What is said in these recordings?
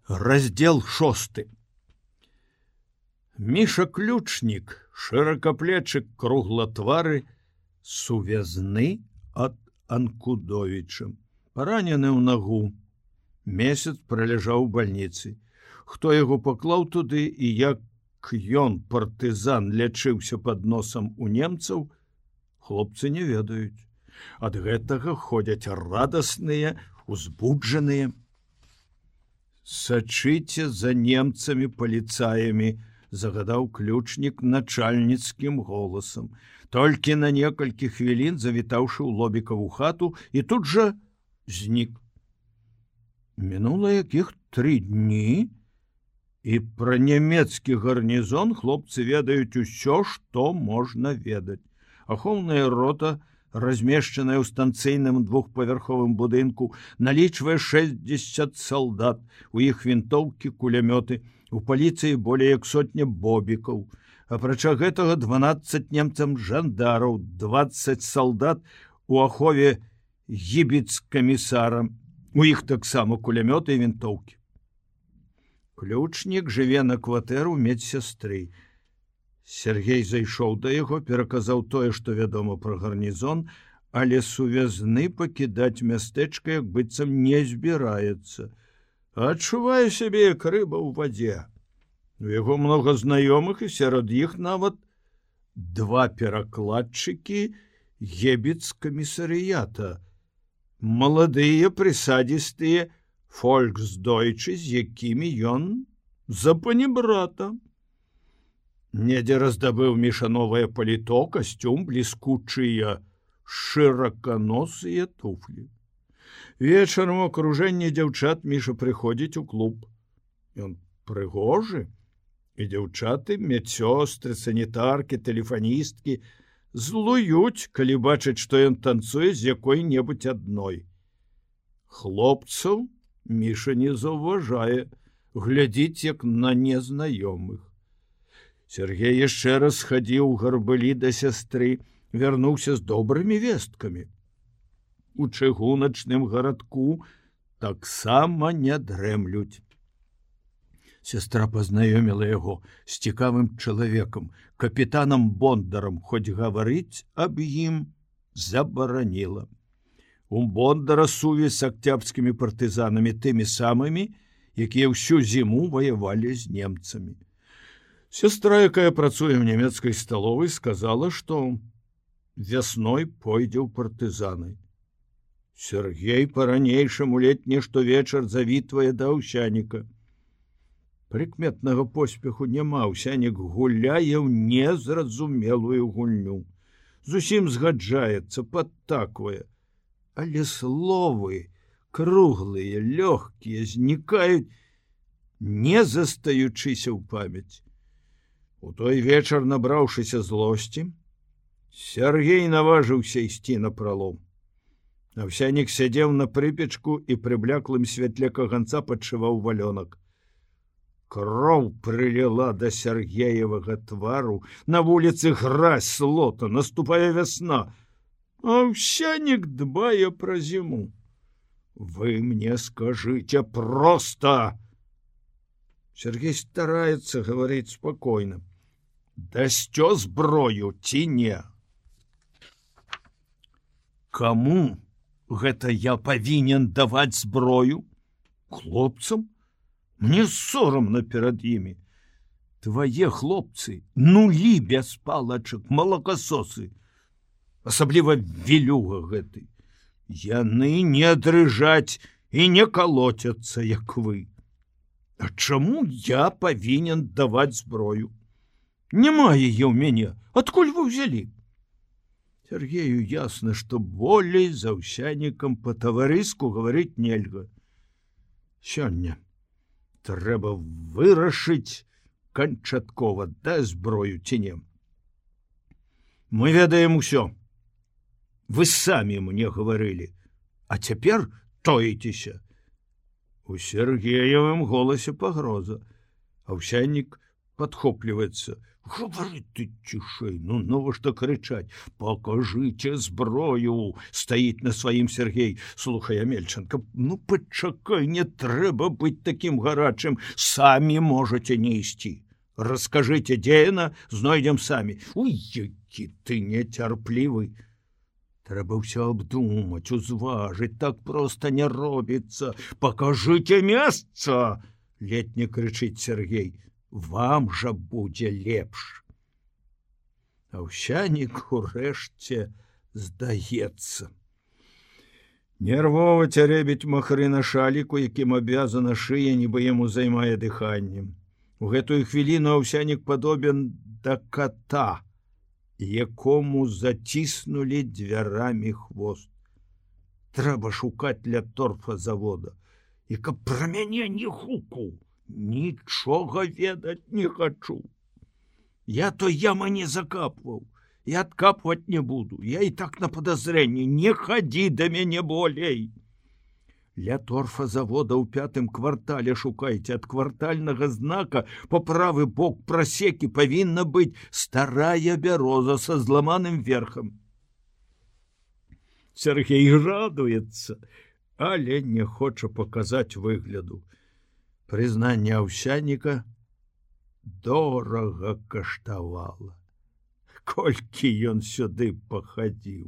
Раздел 6. Міша Ключнік, шыракаплечы круглатвары, сувязны ад Анкудовіча. Паранены ў нагу. Месяц праляжаў у бальніцы. Хто яго паклаў туды і як ён, партызан, лячыўся пад носам у немцаў, хлопцы не ведаюць. Ад гэтага ходзяць радасныя, узбуджаныя. Сачыце за немцамі паліцаямі, загадаў Ключнік начальніцкім голасам. Толькі на некалькі хвілін завітаўшы ў Лобікаву хату і тут жа знік. Мінула якіх 3 дні, і пра нямецкі гарнізон хлопцы ведаюць усё, што можна ведаць. Ахоўная рота, размешчаная ў станцыйным двухпавярховым будынку, налічвае 60 салдат, у іх вінтоўкі, кулямёты, у паліцыі болей як 100 бобікаў. Апрача гэтага 12 немцам жандараў, 20 салдат у ахове гібіц-камісара, у іх таксама кулямёты і вінтоўкі. Ключнік жыве на кватэру медсястры. Сергей зайшоў да яго, пераказаў тое, што вядома пра гарнізон, але сувязны пакідаць мястэчка як быццам не збіраецца. Адчувае сябе як рыба ў вадзе. У яго многа знаёмых, і сярод іх нават 2 перакладчыкі гебіц-камісарыята. Маладыя прысадзістыя фольксдойчы, з якімі ён за панібрата. Недзе раздабыў Міша новае паліто, касцюм, бліскучыя шыраканосыя туфлі. Вечарам у акружэнні дзяўчат Міша прыходзіць у клуб. Ён прыгожы, і дзяўчаты, медсёстры, санітаркі, тэлефаністкі злуюць, калі бачаць, што ён танцуе з якой-небудзь адной. Хлопцаў Міша не заўважае, глядзіць як на незнаёмых. Сергей яшчэ раз хадзіў гарбылі да сястры, вярнуўся з добрымі весткамі. У чыгуначным гарадку таксама не дрэмлюць. Сястра пазнаёміла яго з цікавым чалавекам, капітанам Бондарам, хоць гаварыць аб ім забараніла. У Бондара сувязь з акцябрскімі партызанамі, тымі самымі, якія ўсю зіму ваявалі з немцамі. Сестра, якая працуе ў нямецкай сталовай, сказала, што вясной пойдзе ў партызаны. Сергей па-ранейшаму летні штовечар завітвае да Аўсяніка. Прыкметнага поспеху няма, Аўсянік гуляе ў незразумелую гульню. Зусім згаджаецца, падтаквае. Але словы, круглыя, лёгкія, знікаюць, не застаючыся ў памяць. У той вечар, набраўшыся злосці, Сергей наважыўся ісці напралом. Аўсянік сядзеў на прыпечку і пры бляклым святле каганца падшываў валёнак. Кроў прыліла да Сергеевага твару, на вуліцы гразь, слота, наступае вясна. Аўсянік дбае пра зіму. Вы мне скажыце проста. Сергей стараецца гаварыць спакойна. Дасцё зброю ці не? Каму гэта я павінен даваць зброю? Хлопцам? Мне сорамна перад імі. Твае хлопцы, нулі без палачак, малакасосы. Асабліва вілюга гэты. Яны не дрыжаць і не калоцяцца, як вы. А чаму я павінен даваць зброю? Няма яе ў мяне. Адкуль вы ўзялі? Сергею ясна, што болей з Аўсянікам па-таварыску гаварыць нельга. Сёння трэба вырашыць канчаткова, да зброю ці не. Мы ведаем усё. Вы самі мне гаварылі, а цяпер тоіцеся. У Сергеевым голасе пагроза. Аўсянік падхопліваецца. Гавары ты цішэй, ну навошта крычаць? Пакажыце зброю, стаіць на сваім Сергей. Слухай, Амельченко, ну пачакай, не трэба быць такім гарачым, самі можаце не ісці. Раскажыце, дзе яна, знойдзем самі. Ой, які ты нецярплівы. Трэба ўсё абдумаць, узважыць, так проста не робіцца. Пакажыце месца, ледзь не крычыць Сергей. Вам жа будзе лепш. Аўсянік урэшце здаецца. Нервова цяребіць махры на шаліку, якім абвязана шыя, нібы яму займае дыханнем. У гэтую хвіліну Аўсянік падобен да кота, якому заціснулі дзвярамі хвост. Трэба шукаць ля торфазавода. І каб пра мяне не гукаў. Нічога ведаць не хачу. Я той ямы не закапваў, і адкапваць не буду. Я і так на падазрэнні, не хадзі да мяне болей. Ля торфазавода ў 5-м квартале шукайце. Ад квартальнага знака па правы бок прасекі павінна быць старая бяроза са зламаным верхам. Сергей радуецца, але не хоча паказаць выгляду. Прызнанне Аўсяніка дорага каштавала. Колькі ён сюды пахадзіў.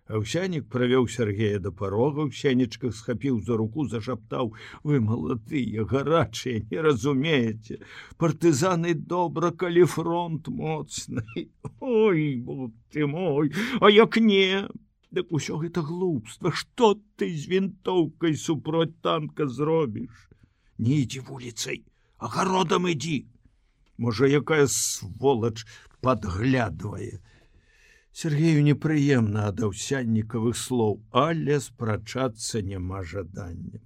Аўсянік правёў Сергея да парога, ў сенечках схапіў за руку, зашаптаў: вы маладыя, гарачыя, не разумееце. Партызаны добра, калі фронт моцны. Ой, бог ты мой, а як не? Дык усё гэта глупства. Што ты з вінтоўкай супроць танка зробіш? Не ідзі вуліцай, агародам ідзі. Можа, якая сволач падглядвае. Сергею непрыемна ад Аўсяннікавых слоў, але спрачацца няма жадання.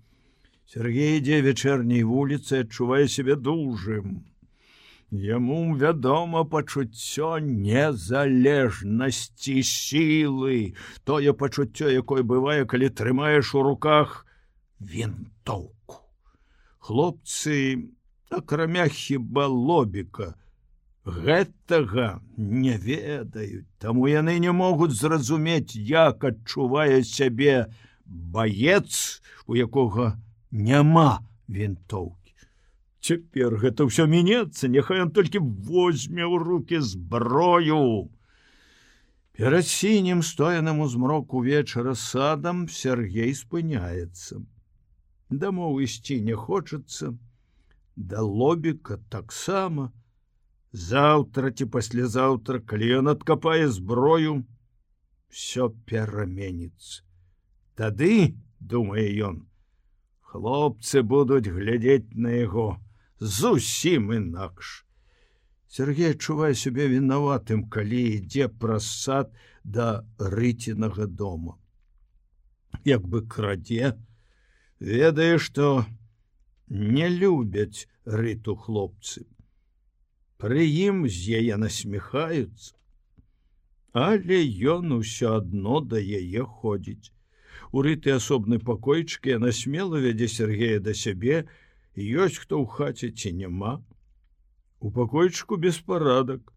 Сергей ідзе вечэрняй вуліцай, адчувае сябе дужым. Яму вядома пачуццё незалежнасці, сілы, тое пачуццё, якое бывае, калі трымаеш у руках вінтоўку. Хлопцы, акрамя хіба Лобіка, гэтага не ведаюць, таму яны не могуць зразумець, як адчувае сябе баец, у якога няма вінтоўкі. Цяпер гэта ўсё мінецца, няхай ён толькі возьме ў рукі зброю. Перад сінім стоянам у змроку вечара садам Сергей спыняецца. Дамоў ісці не хочацца, да Лобіка таксама. Заўтра ці паслязаўтра, калі ён адкапае зброю, всё пераменіцца. Тады, думае ён, хлопцы будуць глядзець на яго зусім інакш. Сергей адчувае сябе вінаватым, калі ідзе праз сад да Рыцінага дома. Як бы крадзе, ведае, што не любяць Рыту хлопцы. Пры ім з яе насміхаюцца, але ён усё адно да яе ходзіць. У Рыты асобны пакойчык, яна смела вядзе Сергея да сябе, ёсць хто ў хаце ці няма. У пакойчыку беспарадак,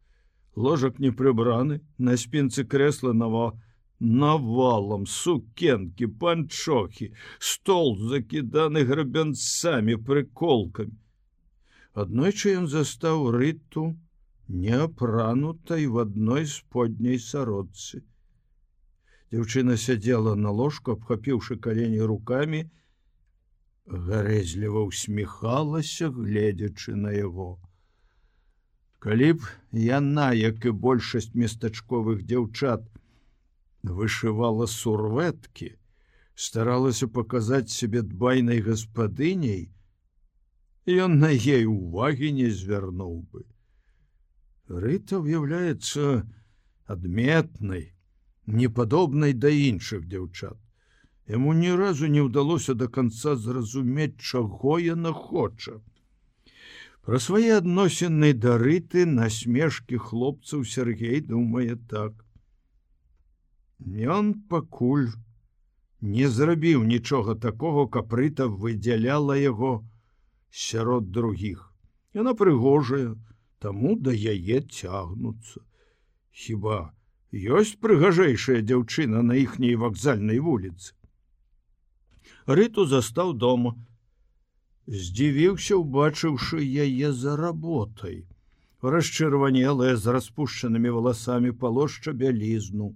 ложак не прыбраны, на спінцы крэсла навалам сукенкі, панчохі, стол закіданы грабянцамі, прыколкамі. Аднойчы ён застаў Рыту неапранутай в адной сподняй сародцы. Дзяўчына сядзела на ложку, абхапіўшы калені рукамі, гарэзліва ўсміхалася, гледзячы на яго. Калі б яна, як і большасць местачковых дзяўчат, вышывала сурвэткі, старалася паказаць сябе дбайнай гаспадыняй, ён на ей увагі не звярнуў бы. Рыта ўяўляецца адметнай, непадобнай да іншых дзяўчат. Яму ні разу не ўдалося да канца зразумець, чаго яна хоча. Пра свае адносіны да Рыты, насмешкі хлопцаў Сергей думае так. Ён пакуль не зрабіў нічога такога, каб Рыта выдзяляла яго сярод другіх. Яна прыгожая, таму да яе цягнуцца. Хіба ёсць прыгажэйшая дзяўчына на іхняй вакзальнай вуліцы? Рыту застаў дома. Здзівіўся, убачыўшы яе за работай. Расчырванелая, з распушчанымі валасамі, палошча бялізну.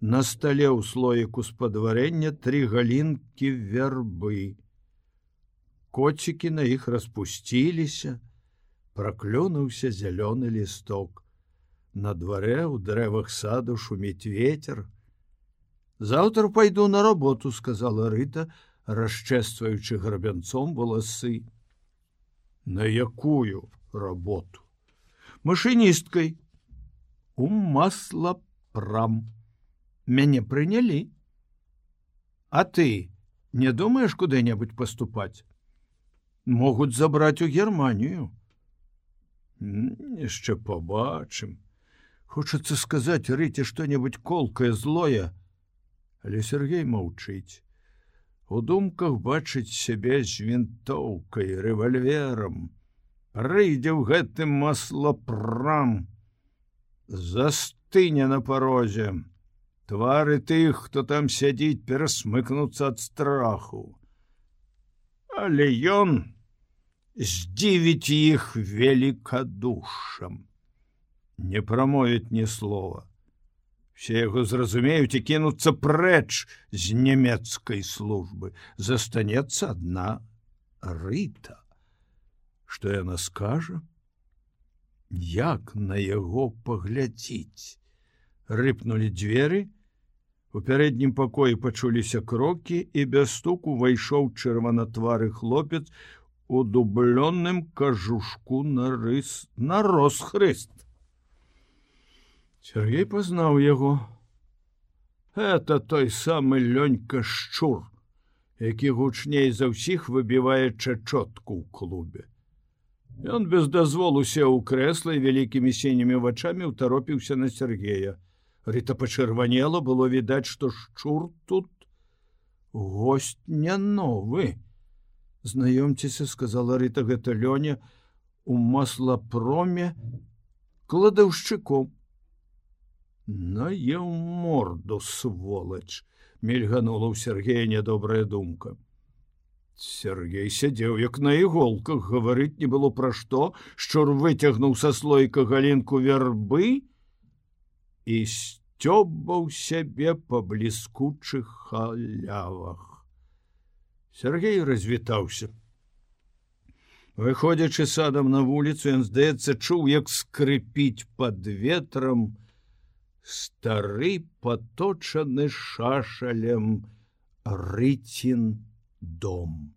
На стале ў слоіку з-пад варэння 3 галінкі вярбы. Коцікі на іх распусціліся, праклёнуўся зялёны лісток. На дварэ ў дрэвах саду шуміць вецер. «Заўтра пайду на работу», — сказала Рыта, расчэсваючы грабянцом валасы. «На якую работу?» «Машыністкай. У маслапрам. Мяне прынялі. А ты не думаеш куды-небудзь паступаць? Могуць забраць у Германію». «Яшчэ пабачым. Хочацца сказаць Рыце што-небудзь колкае, злое». Але Сергей маўчыць. У думках бачыць сябе з вінтоўкай, рэвальверам. Прыйдзе ў гэтым маслапрам, застыне на парозе. Твары тых, хто там сядзіць, перасмыкнуцца ад страху. Але ён здзівіць іх велікадушшам. Не прамовіць ні слова. Все яго зразумеюць і кінуцца прэч з нямецкай службы. Застанецца адна Рыта. Што яна скажа? Як на яго паглядзіць? Рыпнулі дзверы. У пярэднім пакоі пачуліся крокі, і без стуку увайшоў чырванатвары хлопец у дублённым кажушку на розхрыст. Сергей пазнаў яго. Это той самы Лёнька Шчур, які гучней за ўсіх выбівае чачотку ў клубе. Ён без дазволу сеў у крэсла і вялікімі сінімі вачамі ўтаропіўся на Сергея. Рыта пачырванела, было відаць, што Шчур тут госць не новы. «Знаёмцеся», — сказала Рыта, — «гэта Лёня у маслапроме кладаўшчыком». «Наеў морду, сволач!» — мільганула ў Сергея нядобрая думка. Сергей сядзеў як на іголках, гаварыць не было пра што. Шчур выцягнуў са слоіка галінку вярбы і сцёбаў сябе па бліскучых халявах. Сергей развітаўся. Выходзячы садам на вуліцу, ён, здаецца, чуў, як скрыпіць пад ветрам стары паточаны шашалем Рыцін дом.